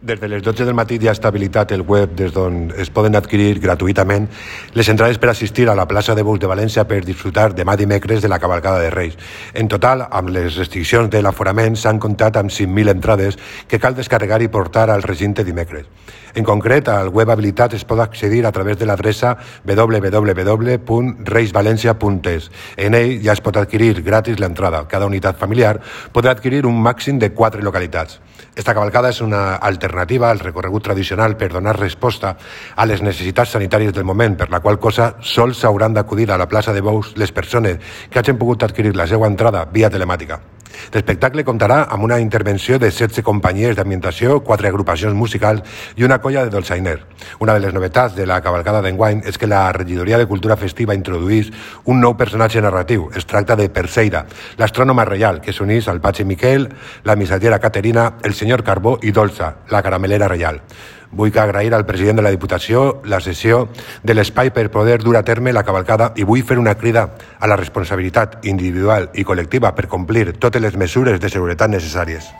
Des de les 12 del matí ja està habilitat el web des d'on es poden adquirir gratuïtament les entrades per assistir a la plaça de Bous de València per disfrutar demà dimecres de la cavalcada de Reis. En total, amb les restriccions de l'aforament, s'han comptat amb 5.000 entrades que cal descarregar i portar al recinte dimecres. En concret, al web habilitat es pot accedir a través de l'adreça www.reisvalencia.es. En ell ja es pot adquirir gratis l'entrada. Cada unitat familiar podrà adquirir un màxim de 4 localitats. Esta cavalcada és una alternativa al recorregut tradicional per donar resposta a les necessitats sanitàries del moment, per la qual cosa sols s'hauran d'acudir a la plaça de Bous les persones que hagin pogut adquirir la seva entrada via telemàtica. L'espectacle comptarà amb una intervenció de 16 companyies d'ambientació, 4 agrupacions musicals i una colla de dolçainer. Una de les novetats de la cavalcada d'enguany és que la Regidoria de Cultura Festiva introduís un nou personatge narratiu. Es tracta de Perseida, l'astrònoma reial, que s'unís al Patge Miquel, la missatgera Caterina, el senyor Carbó i Dolça, la caramelera reial. Vull agrair al president de la Diputació la cessió de l'espai per poder dur a terme la cavalcada i vull fer una crida a la responsabilitat individual i col·lectiva per complir totes les mesures de seguretat necessàries.